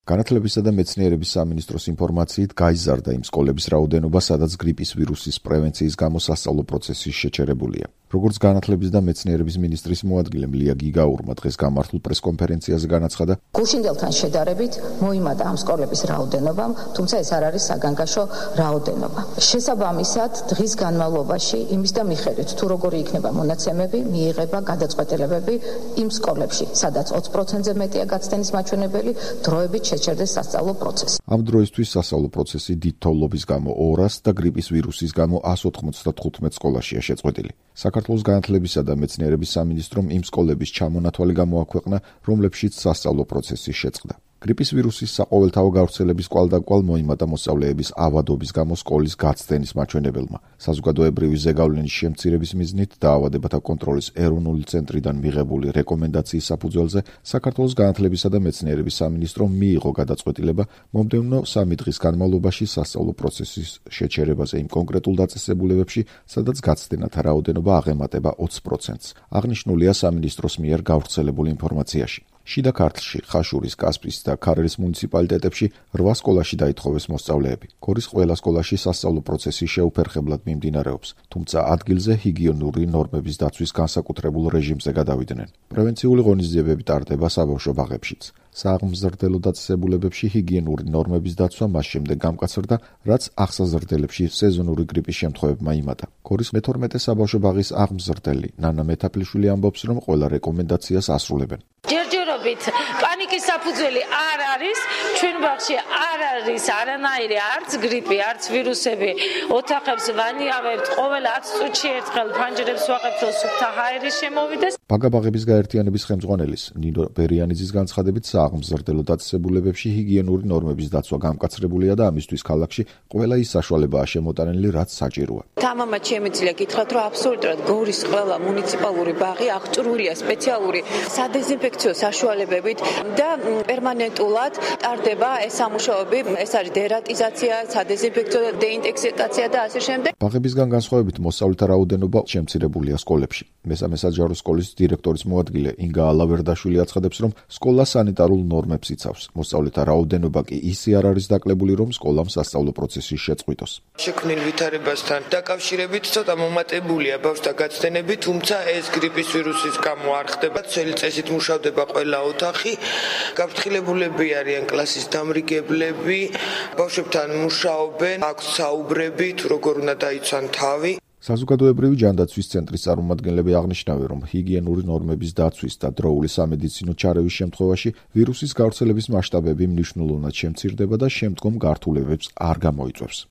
განათლებისა და მეცნიერების სამინისტროს ინფორმაციით გაიზარდა იმ სკოლების რაოდენობა, სადაც გრიპის ვირუსის პრევენციის გამო სასწავლო პროცესი შეჩერებულია. როგორც განათლების და მეცნიერების მინისტრის მოადგილე ლია გიგაურმა დღეს გამართულ პრესკონფერენციაზე განაცხადა, გუშინდელთან შედარებით მოიმატა ამ სკოლების რაოდენობამ, თუმცა ეს არ არის საგანგაშო რაოდენობა. შესაბამისად, დღის განმავლობაში იმის და მიხედვით, თუ როგორი იქნება მონაცემები, მიიღება გადაწყვეტილებები იმ სკოლებში, სადაც 20%-ზე მეტია გაცდენის მაჩვენებელი, დროებით შეჩერდეს სასწავლო პროცესი. ამ დროისთვის სასწავლო პროცესი დიდ თოვლობის გამო 200 და გრიპის ვირუსის გამო 195 სკოლაშია შეწყვეტილი. საქართველოს განათლებისა და მეცნიერების სამინისტრომ იმ სკოლების ჩამონათვალი გამოაქვეყნა, რომლებშიც სასწავლო პროცესი შეწყდა. გრიპის ვირუსის საყოველთაო გავრცელების კვალდაკვალ მოიმატა მოსწავლეების ავადობის გამო სკოლის გაცდენის მაჩვენებელმა. საზოგადოებრივი ზეგავლენის შემცირების მიზნით დაავადებათა კონტროლის ეროვნული ცენტრიდან მიღებული რეკომენდაციის საფუძველზე საქართველოს განათლებისა და მეცნიერების სამინისტრომ მიიღო გადაწყვეტილება მომდევნო 3 დღის განმავლობაში სასწავლო პროცესის შეჩერებაზე იმ კონკრეტულ დაწესებულებებში, სადაც გაცდენათა რაოდენობა აღემატება 20%-ს. აღნიშნულია სამინისტროს მიერ გავრცელებულ ინფორმაციაში. შიდა ქართლში, ხაშურის, კასპის და ქარელის მუნიციპალიტეტებში 8 სკოლაში დაითხოვეს მოსწავლეები. გორის ყველა სკოლაში სასწავლო პროცესი შეუფერხებლად მიმდინარეობს, თუმცა ადგილზე ჰიგიენური ნორმების დაცვის განსაკუთრებულ რეჟიმზე გადავიდნენ. პრევენციული ღონისძიებები ტარდება საბავშვო ბაღებშიც. სააღმზრდელო დაწესებულებებში ჰიგიენური ნორმების დაცვა მას შემდეგ გამკაცრდა, რაც აღსაზრდელებში სეზონური გრიპის შემთხვევებმა იმატა. გორის მე-12 საბავშვო ბაღის აღმზრდელი ნანა მეტაფლიშვილი ამბობს, რომ ყველა რეკომენდაციას ასრულებენ. ჯერჯერობით პანიკის საფუძველი არ არის, ჩვენ ბაღში არ არის არანაირი არც გრიპი, არც ვირუსები. ოთახებს ვანიავებთ, ყოველ 10 წუთში ერთხელ ფანჯრებს ვაყებთ, რომ სუფთა ჰაერი შემოვიდეს. ბაგაბაღების გაერთიანების ხელმძღვანელის ნინო ბერიანიძის განცხადებით, სააღმზრდელო დაწესებულებებში ჰიგიენური ნორმების დაცვა გამკაცრებულია და ამისთვის ქალაქში ყველა ის საშუალებაა შემოტანილი, რაც საჭიროა. თამამად შემიძლია გითხრათ, რომ აბსოლუტურად გორის ყველა მუნიციპალური ბაღი აღჭურვილია სპეციალური სადეზინფექციო საშუალებებით და პერმანენტულად ტარდება ეს სამუშაოები, ეს არის დერატიზაცია, სადეზინფექციო დეინტოქსიკაცია და ასე შემდეგ. ბაღებისგან განსხვავებით მოსწავლეთა რაოდენობა შემცირებულია სკოლებში. მესამე საჯარო სკოლის დირექტორის მოადგილე ინგა ალავერდაშვილი აცხადებს, რომ სკოლა სანიტარულ ნორმებს იცავს. მოსწავლეთა რაოდენობა კი ისე არ არის დაკლებული, რომ სკოლამ სასწავლო პროცესი შეწყვიტოს. შექმნილ ვითარებასთან დაკავშირებით ცოტა მომატებულია ბავშვთა გაცდენები, თუმცა ეს გრიპის ვირუსის გამო არ ხდება. ძველი წესით მუშავდება ყველა ოთახი. გაფრთხილებულები არიან კლასის დამრიგებლები, ბავშვებთან მუშაობენ, აქვს საუბრები, თუ როგორ უნდა დაიცვან თავი. საზოგადოებრივი ჯანდაცვის ცენტრის წარმომადგენლები აღნიშნავენ, რომ ჰიგიენური ნორმების დაცვის და დროული სამედიცინო ჩარევის შემთხვევაში ვირუსის გავრცელების მასშტაბები მნიშვნელოვნად შემცირდება და შემდგომ გართულებებს არ გამოიწვევს.